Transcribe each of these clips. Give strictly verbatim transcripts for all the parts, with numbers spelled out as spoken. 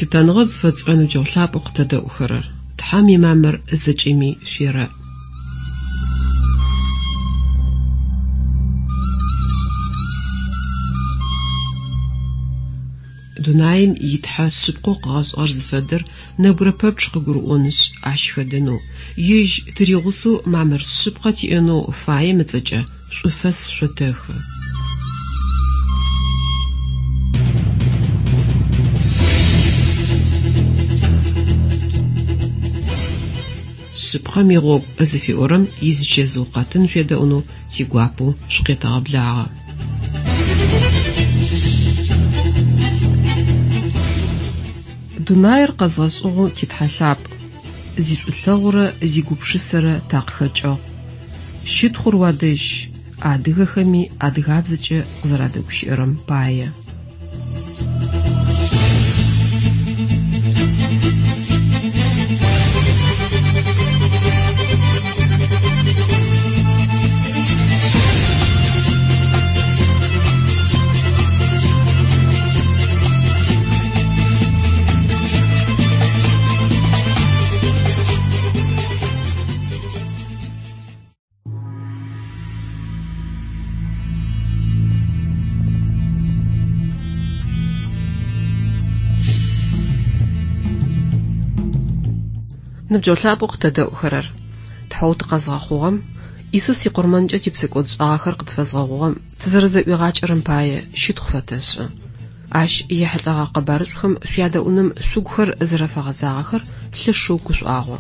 Лъытэныгъэ зыфэтшӏырэ ныбджэгъу лъапӏэу къытэдэӏухэрэр, Тхьэм имамыр зэкӏэми шъуерэӏ. Дунаим итхьэ шъыпкъэу къыгъэшӏыгъэр зыфэдэр нэбгырэ пэпчъ къыгурыӏонышъ, ащ хэдэнэу, ежь тыригъусэу мамыр шъыпкъэ тиӏэнэу фаем ыцӏэкӏэ шӏуфэс шъотэхы. Шъыпкъэм игъогу зыфиӏорэм изычэзыу къэтын шъуедэӏунэу тигуапэу шъукъетэгъэблагъэ. Дунаир къэзгъэшӏыгъэу титхьэ лъапӏ, зишӏулъэгъурэ зигупшысэрэ такъыхэкӏыгъ. Щытхъур уадэжь, адыгэхэми адыгабзэкӏэ къызэрадэгущыӏэрэм пае. Ныбджэгъу лъапӏэу къытэдэӏухэрэр, Тхьэу тыкъэзгъэхъугъэм, Исус икъурмэнкӏэ типсэкӏодшӏагъэхэр къытфэзгъэгъугъэм тызэрэзэӏуигъакӏэрэм пае щытхъу фэтэшӏы. Ащ ехьылӏэгъэ къэбарышӏухэм шъуядэӏуным шъугухэр зэрэфэгъэзагъэхэр лъэшэу гушӏуагъо.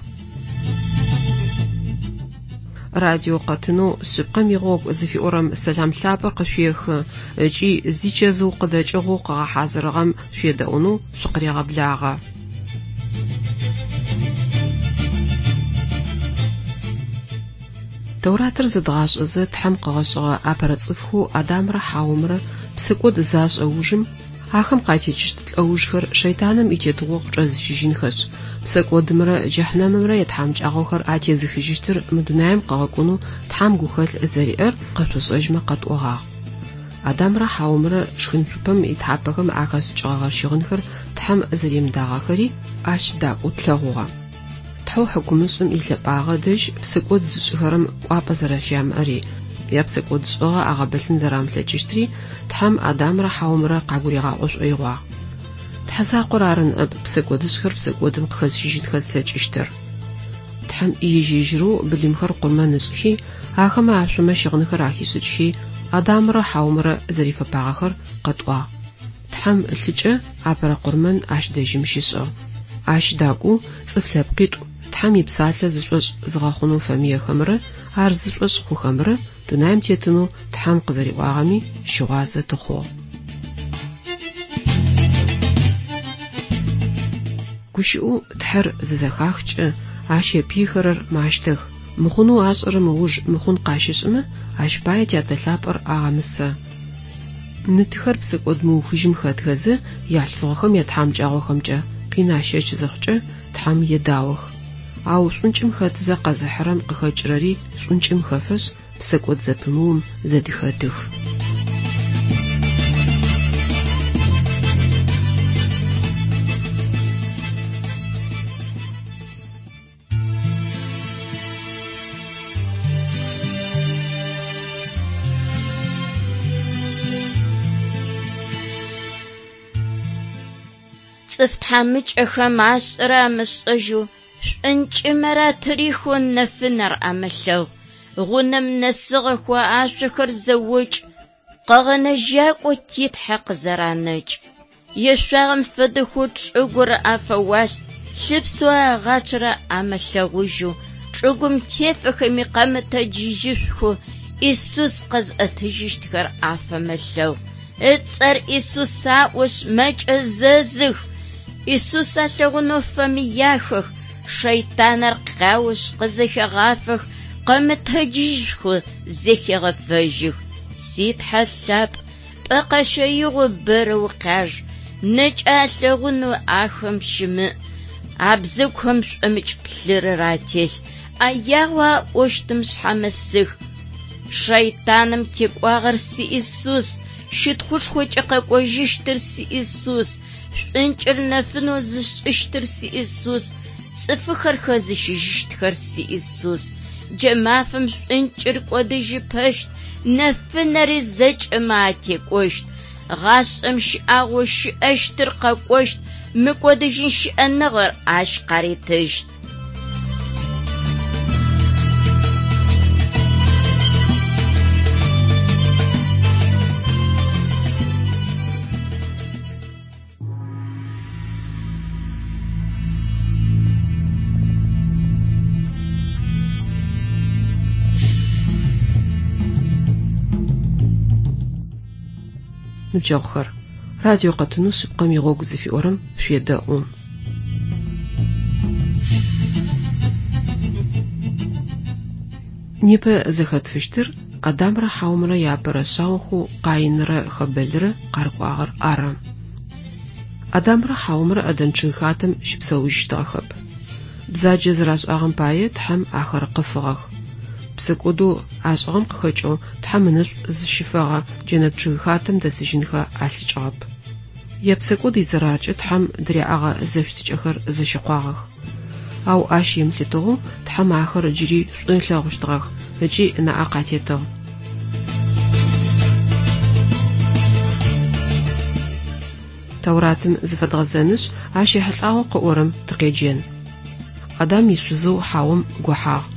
Радио къэтынэу шъыпкъэм игъогу зыфиӏорэм сэлам лъапӏэр къышъуехы ыкӏи зичэзыу къыдэкӏыгъэу къыгъэхьазырыгъэм шъуедэӏунэу шъукъырегъэблагъэ. Тэуратыр зэдгъашӏэзэ Тхьэм къыгъэшӏыгъэ апэрэ цӏыфхэу Адамрэ Хьаомрэ псэкӏод зашӏэ ужым, ахэм къатекӏыщт лӏэужхэр шэйтаным итетыгъо къычӏэзыщыжьынхэшъ, псэкӏодымрэ джэхьнэмымрэ ятхьамыкӏагъохэр атезыхыжьыщтыр мы дунаим къыгъэкӏонэу Тхьэм гухэлъ зэриӏэр къэшъошӏэжьмэ къэтӏогъагъ. Адамрэ Хьаомрэ шхынцупэм итхьапэхэм ахэшӏыкӏыгъэгъэ щыгъынхэр Тхьэм зэримыдагъэхэри ащ дакӏоу тлъэгъугъэ. Тхьэу хьыкумышӏым илъэпӏагъэ дэжь псэкӏод зышӏыхэрэм кӏуапӏэ зэрэщямыӏэри, япсэкӏодшӏыгъэ агъэбылъын зэрамылъэкӏыщтри Тхьэм Адамрэ Хьаомрэ къагуригъаӏо шӏоигъуагъ. Тхьэ закъор ары ныӏэп псэкӏодышӏхэр псэкӏодым къыхэзыщыжьынхэ зылъэкӏыщтыр. Тхьэм ежь-ежьырэу былымхэр къурмэн ышӏхи, ахэмэ ашъомэ щыгъынхэр ахишӏыкӏхи, Адамрэ Хьаомрэ зэрифэпагъэхэр къэтӏуагъ. Тхьэм ылъыкӏэ апэрэ къурмэн ащ дэжьым щишӏыгъ. Ащ дакӏоу цӏыф лъэпкъитӏу Тхьэм ипсалъэ зышӏошӏ зыгъэхъунэу фэмыехэмрэ ар зышӏошӏ хъухэмрэ дунаим тетынэу Тхьэм къызэриӏуагъэми щыгъуазэ тыхъугъ. Гущыӏэу Тхьэр зызэхахкӏэ, ащ епыйхэрэр мащтэх, мыхъунэу ашӏэрэм ыуж мыхъун къащышӏымэ, ащ пае тятэ лъапӏэр агъэмысэ. Ны-тыхэр псэкӏод мыухыжьым хэтхэзэ, ялъфыгъэхэм ятхьамыкӏагъохэмкӏэ къин ащэч зыхъукӏэ, Тхьэм едаох. Ау шӏункӏым хэтзэ къэзыхьырэм къыхэкӏырэри шӏункӏым хэфэшъ, псэкӏод зэпымыум зэдыхэтых. Цӏыф тхьамыкӏэхэм ашӏэрэ амышӏэжьэу, шӏункӏымэрэ атырихэу нэфынэр амылъэгъу. Гъунэм нэсыгъэхэу ашъохэр зэокӏ, къэгъэнэжьакӏо титхьэ къызэранэкӏ. Ешъуагъэм фэдэхэу чӏыгур афэуалъ, лъыпсэу агъачъэрэ амылъэгъужьэу, чӏыгум тефэхэми къэмытэджыжьышъухэу Исус къэзыӏэтыжьыщтхэр афэмылъэгъу. Ыцӏэр Исус аӏошъ мэкӏэзэзых. Исус алъэгъунэу фэмыяхэх, шэйтанэр къяошъ къызэхегъафэх, къэмытэджыжьхэу зэхегъэфэжьых. Ситхьэ лъапӏ, пӏэ къэщэигъо бэрэ укъяж, нэкӏэ алъэгъунэу ахэм щымыӏ. Абзэгухэм шӏомыкӏ плъырыр ателъ, ӏэягъэу аӏощтым шъхьамысых. Шэйтаным текӏуагъэр си Исус, щытхъушхокӏэ къэкӏожьыщтыр си Исус, Шӏункӏыр нэфынэу зышӏыщтыр си Исус, цӏыфыхэр хэзыщыжьыщтхэр си Исус. Джа мафэм шӏункӏыр кӏодыжьыпэщт, нэфынэри зэкӏэмэ атекӏощт. Гъашӏэм щыӏагъэу щыӏэщтыр къэкӏощт, мыкӏодыжьын щыӏэныгъэр ащ къаритыщт. Ныбджэгъухэр, радио къэтынэу шъыпкъэм игъогу зыфиӏорэм шъуедэӏу. Непэ зэхэтфыщтыр Адамрэ Хьаумрэ яапэрэ шъаохэу Къаинрэ Хэбэлрэ къарыкӏуагъэр ары. Адамрэ Хьаумрэ Ӏэдэн чъыгхатэм щыпсэужьыщтыгъэхэп. Бзаджэ зэрашӏагъэм пае Тхьэм ахэр къыфыгъэх. Псэкӏодэу ашӏыгъэм къыхэкӏэу Тхьэм ынэшӏу зыщифэгъэ джэнэт чъыгхатэм дэсыжьынхэ алъэкӏыгъэп. Япсэкӏод изэраркӏэ Тхьэм дыряӏэгъэ зэфыщытыкӏэхэр зэщыкъуагъэх. Ау ащ емылъытыгъэу Тхьэм ахэр джыри шӏу ылъэгъущтыгъэх ыкӏи ынаӏэ къатетыгъ. Тауратым зыфэдгъэзэнышъ, ащ ехьылӏагъэу къыӏорэм тыкъеджэн. Адам ишъузэу Хьаом гохьагъ.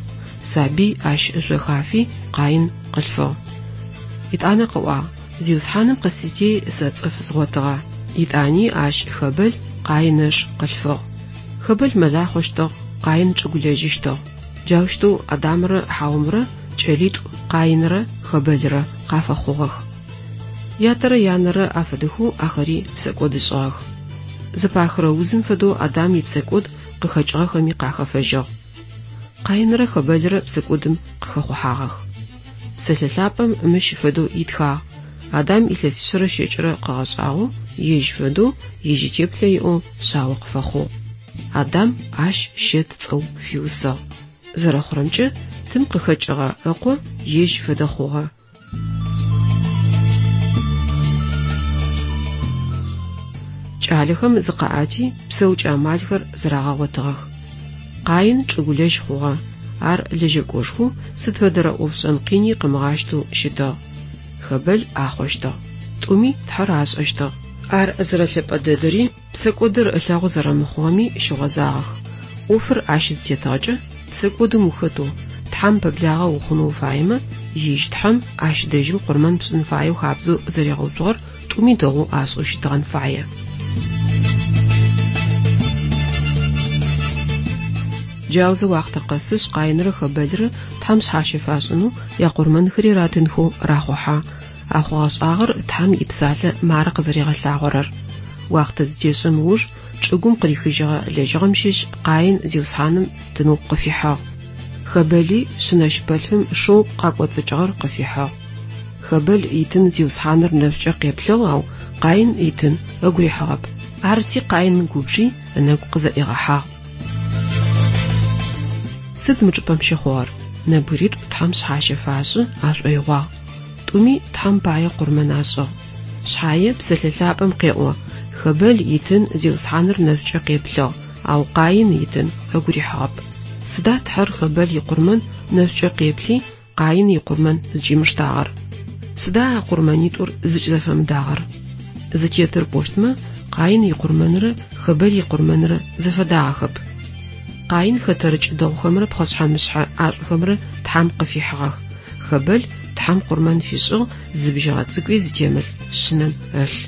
Сабый ащ ышъо хафи Къаин къылъфыгъ. Итӏанэ къыӏуагъ: Зиусхьаным къысити сэ цӏыф згъотыгъэ. Итӏани ащ Хэбэл Къаин ыш къылъфыгъ. Хэбэл мэлахъощтыгъ, Къаин чӏыгулэжьыщтыгъ. Джаущтэу Адамрэ Хьаумрэ кӏэлитӏу Къаинрэ Хэбэлрэ къафэхъугъэх. Ятэрэ янэрэ афэдэхэу ахэри псэкӏодышӏыгъэх. Зэпахырэ узым фэдэу Адам ипсэкӏод къыхэкӏыгъэхэми къахэфэжьыгъ. Къаинрэ Хэбэлрэ псэкӏодым къыхэхъухьагъэх. Псэлъэ лъапӏэм мыщ фэдэу итхагъ: Адам илъэсишъэрэ щэкӏырэ къыгъэшӏагъэу, ежь фэдэу, ежь итеплъэ иӏэу шъао къыфэхъугъ. Адам ащ Щэт цӏэу фиусыгъ. Зэрэхъурэмкӏэ, тым къыхэкӏыгъэ ыкъо ежь фэдэ хъугъэ. Кӏалэхэм зыкъаӏэти псэукӏэ амалхэр зэрагъэгъотыгъэх. Къаин чӏыгулэжь хъугъэ. Ар лэжьэкӏошхоу сыд фэдэрэ ӏофшӏэн къини къымыгъащтэу щытыгъ. Хэбэл ахъощтыгъ. Тӏуми Тхьэр ашӏэщтыгъ. Ар зэрэлъэпӏэ дэдэри псэкӏодыр ылъэгъу зэрэмыхъугъэми щыгъозагъэх. ӏофыр ащ зытетыгъэкӏэ псэкӏодым ухэтэу Тхьэм пэблагъэ ухъунэу уфаемэ, ежь Тхьэм ащ дэжьым къурмэн пшӏын фаеу хабзэу зэригъэуцугъэр тӏуми дэгъоу ашӏэу щытыгъэн фае. Джаузэ уахътэ къэсышъ Къаинрэ Хэбэлрэ Тхьэм шъхьащэ фашӏынэу якъурмэнхэри ратынхэу рахъухьэ. А хъугъэ-шӏагъэр Тхьэм ипсалъэ мары къызэригъэлъагъорэр. Уахътэ зытешӏэм ыуж чӏыгум къырихыжьыгъэ лэжьыгъэм щыщ Къаин Зиусхьаным тынэу къыфихьыгъ. Хэбэли шъынэщыпэлъфым шэу къакӏоцӏыкӏыгъэр къыфихьыгъ. Хэбэл итын Зиусхьаныр нэшӏукӏэ къеплъыгъ, ау Къаин итын ыгу рихьыгъэп. Арти Къаин губжи ынэгу къызэӏигъэхьагъ. Сыд мы чӏыпӏэм щыхъугъэр? Нэбгыритӏу Тхьэм шъхьащэ фашӏы ашӏоигъуагъ. Тӏуми Тхьэм пае къурмэн ашӏыгъ. Шъхьае псэлъэ лъапӏэм къеӏо: Хэбэл итын Зиусхьаныр нэшӏукӏэ къеплъыгъ, ау Къаин итын ыгу рихьыгъэп. Сыда Тхьэр Хэбэл икъурмэн нэшӏукӏэ къеплъи, Къаин икъурмэн зыкӏимыштагъэр? Сыда а къурмэнитӏур зыкӏызэфэмыдагъэр? Зытетыр пӏощтмэ, Къаин икъурмэнрэ Хэбэл икъурмэнрэ зэфэдагъэхэп. Къаин хэтэрыкӏ дэгъухэмрэ пхъэшъхьэ-мышъхьэ ӏашӏухэмрэ Тхьэм къыфихьыгъэх. Хэбэл Тхьэм къурмэн фишӏыгъ зы бжьыгъэ цӏыкӏуи зытемылъ шъынэм ылъ.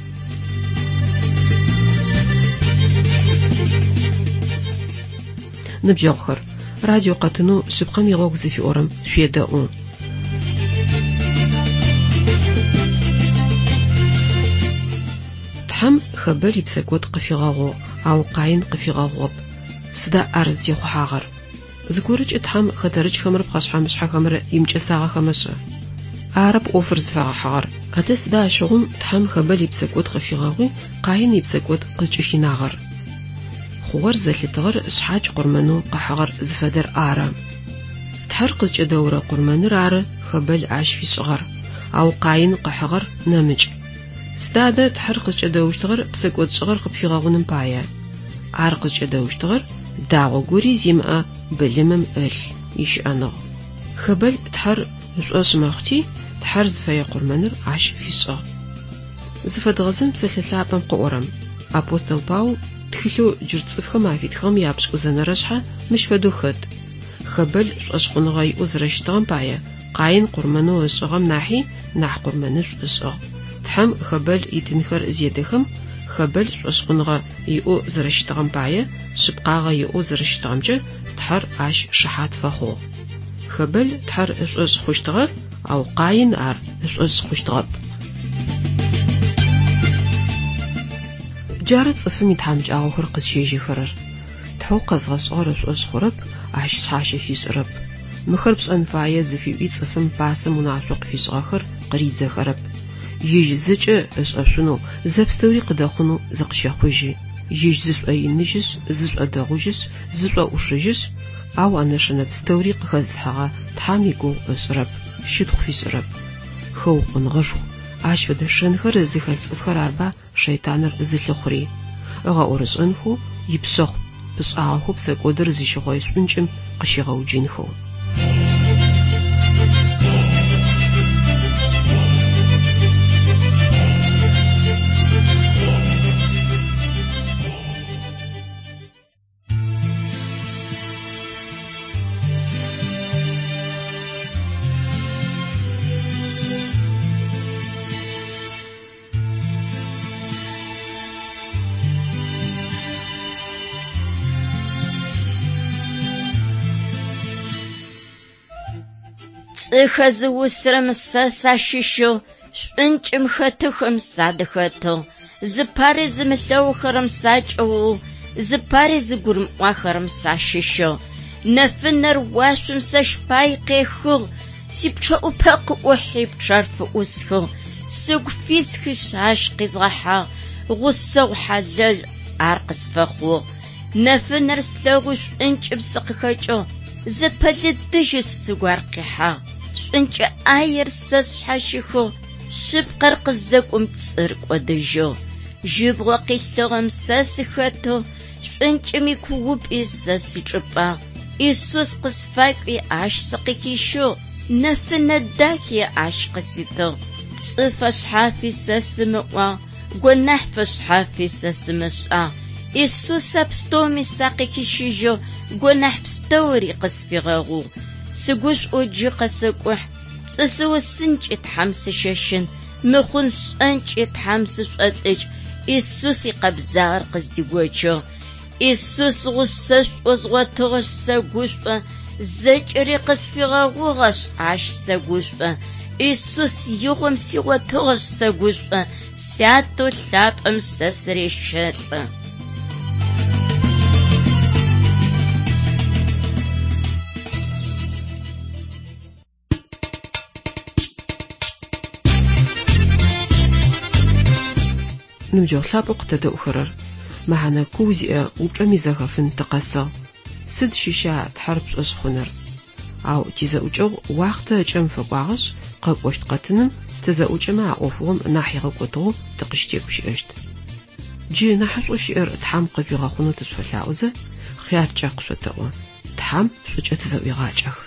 Ныбджэгъухэр, радио къэтынэу шъыпкъэм игъогу зыфиӏорэм шъуедэӏу. Тхьэм Хэбэл ипсэкӏод къыфигъэгъугъ, ау Къаин къыфигъэгъугъэп. Сыда ар зытехъухьагъэр? Зыгорэкӏэ Тхьэм хэтэрыкӏхэмрэ пхъэшъхьэ-мышъхьэхэмрэ имыкӏэсагъэхэмэ шӏэ? Арэп ӏофыр зыфэгъэхьыгъэр. Адэ сыда ащыгъум Тхьэм Хэбэл ипсэкӏод къыфигъэгъуи, Къаин ипсэкӏод къызкӏыхинагъэр? Хъугъэр зэлъытыгъэр шъхьадж къурмэнэу къыхьыгъэр зыфэдэр ары. Тхьэр къызкӏэдэурэ къурмэныр ары Хэбэл ащ фишӏыгъэр, ау Къаин къыхьыгъэр нэмыкӏ. Сыда Сыда адэ Тхьэр къызкӏэдэущтыгъэр псэкӏодшӏыгъэр къыпфигъэгъуным пае? Ар къызкӏэдэущтыгъэр дагъо гори зимыӏэ былымым ылъ, ищыӏэныгъ. Хэбэл Тхьэр ышӏошъ мэхъути, Тхьэр зыфэе къурмэныр ащ фишӏыгъ. Зыфэдгъэзэн псэлъэ лъапӏэм къыӏорэм. Апостол Паул тхылъэу джырт цӏыфхэм афитхыгъэм япшӏыкӏузэнэрэ шъхьэ мыщ фэдэу хэт. Хэбэл шӏошъхъуныгъэ иӏэу зэрэщытыгъэм пае Къаин къурмэнэу ышӏыгъэм нахьи нахь къурмэнышӏу ышӏыгъ. Тхьэм Хэбэл итынхэр зедэхэм, Хэбэл шӏошъхъуныгъэ иӏэу зэрэщытыгъэм пае, шъыпкъагъэ иӏэу зэрэщытыгъэмкӏэ Тхьэр ащ шыхьат фэхъугъ. Хэбэл Тхьэр ышӏошъ хъущтыгъэ, ау Къаин ар ышӏошъ хъущтыгъэп. Джары цӏыфым итхьамыкӏагъохэр къызщежьэхэрэр. Тхьэу къэзгъэшӏыгъэр ышӏошъ хъурэп, ащ шъхьащэ фишӏырэп. Мыхэр пшӏэн фае зыфиӏуи цӏыфым пасэм унашъо къыфишӏыгъэхэр къыридзэхэрэп. Ежь зэкӏэ ышӏэшъунэу, зэпстэури къыдэхъунэу зыкъыщэхъужьы. Ежь зышӏоиныжьышъ, зышӏодэгъужьышъ, зышӏоӏушыжьышъ, ау а нэшэнэ пстэури къыхэзылъхьэгъэ Тхьэм игугъу ышӏырэп, щытхъу фишӏырэп. Хэукъоныгъэшху, ащ фэдэ шэнхэр зыхэлъ цӏыфхэр арба шэйтаныр зылъыхъури. Ыгъэӏорышӏэнхэу, ипшъэхъу пышӏагъэхэу псэкӏодыр зыщыхъой шӏункӏым къыщигъэуджынхэу. Цӏыхэ зыусырэм сэ сащыщыгъ, шӏункӏым хэтыхэм садыхэтыгъ, зыпари зымылъэгъухэрэм сакӏыгъугъ, зыпари зыгурымыӏуахэрэм сащыщыгъ. Нэфынэр уашъом сэщ пай къехыгъ, сипчъэӏупэ къыӏухьи пчъэр фыӏусхыгъ, сыгу фисхышъ ащ къизгъэхьагъ, гъусэгъу хьалэл ар къысфэхъугъ. Нэфынэр слъэгъуи шӏункӏым сыкъыхэкӏыгъ, зэпэлыдыжьышъ сыгу ар къихьагъ. Шӏункӏэ ӏаер сэ сшъхьащихыгъ, шъыпкъэр къызэкӏум пцӏыр кӏодыжьыгъ. Жьыбгъэ къилъыгъэм сэ сыхэтыгъ, шӏункӏым икуупӏи сэ сичӏыпӏагъ. Исус къысфакӏуи ащ сыкъыхищыгъ, нэфынэ дахи ащ къыситыгъ. Пцӏы фэшъхьафи сэ сымыӏуагъ, гонахь фэшъхьафи сэ сымышӏагъ. Исус а пстэуми сакъыхищыжьыгъ, гонахь пстэури къысфигъэгъугъ. Сыгушӏоу джы къэсэкӏухь, пцӏы сыусынкӏи Тхьэм сыщэщын, мыхъун сшӏэнкӏи Тхьэм сышӏолӏыкӏ, Исус икъэбзагъэр къыздигочыгъ. Исус гъусэшӏоу згъотыгъэшъ сэгушӏо, зэкӏэри къысфигъэгъугъэшъ ащ сэгушӏо. Исус игъом сигъотыгъэшъ сэгушӏо, сятэу лъапӏэм сэ сырещэлӏэ. Ныбджэгъу лъапӏэу къытэдэӏухэрэр, мэхьанэ куу зиӏэ упчӏэм изэхэфын тыкъэсыгъ. Сыд щыща Тхьэр пшӏошъ хъуныр? Ау тизэӏукӏэгъу уахътэ ыкӏэм фэкӏуагъэшъ, къэкӏощт къэтыным тызэӏукӏэмэ а ӏофыгъом нахь игъэкӏотыгъэу тыкъыщытегущыӏэщт. Джы нахьышӏоу щыӏэр Тхьэм къыжъуигъэхъунэу тышъуфэлъаӏозэ, хъяркӏэ къышъотэӏо. Тхьэм шӏукӏэ тызэӏуегъакӏэх.